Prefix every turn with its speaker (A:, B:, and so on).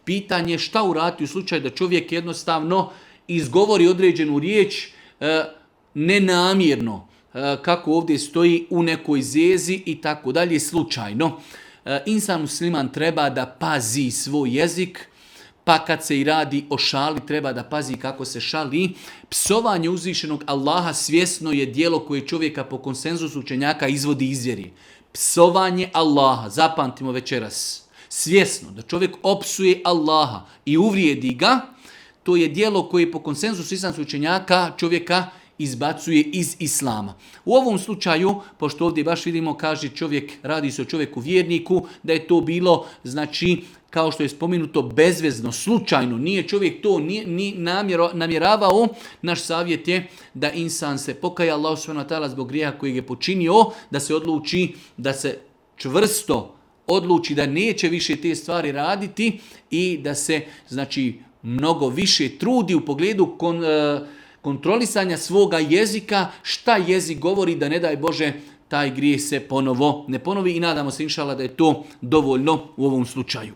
A: Pitanje je šta uraditi u slučaju da čovjek jednostavno izgovori određenu riječ nenamjerno, kako ovdje stoji u nekoj zezi i tako dalje, slučajno. Insan musliman treba da pazi svoj jezik, pa kad se i radi o šali, treba da pazi kako se šali. Psovanje uzvišenog Allaha svjesno je djelo koje čovjeka po konsenzusu učenjaka izvodi iz vjeri. Psovanje Allaha, zapamtimo večeras, svjesno da čovjek opsuje Allaha i uvrijedi ga, to je djelo koje po konsenzusu islamskih učenjaka čovjeka izbacuje iz islama. U ovom slučaju, pošto ovdje baš vidimo, kaže čovjek, radi se o čovjeku vjerniku, da je to bilo, znači, kao što je spomenuto, bezvezno, slučajno, nije čovjek to ni namjeravao. Naš savjet je da insan se pokaja Allahu subhanahu wa ta'ala zbog grijeha kojeg je počinio, da se odluči, da se čvrsto odluči da neće više te stvari raditi i da se, znači, mnogo više trudi u pogledu kontrolisanja svoga jezika, šta jezik govori, da ne daj Bože taj grijeh se ponovo ne ponovi i nadamo se inšala da je to dovoljno u ovom slučaju.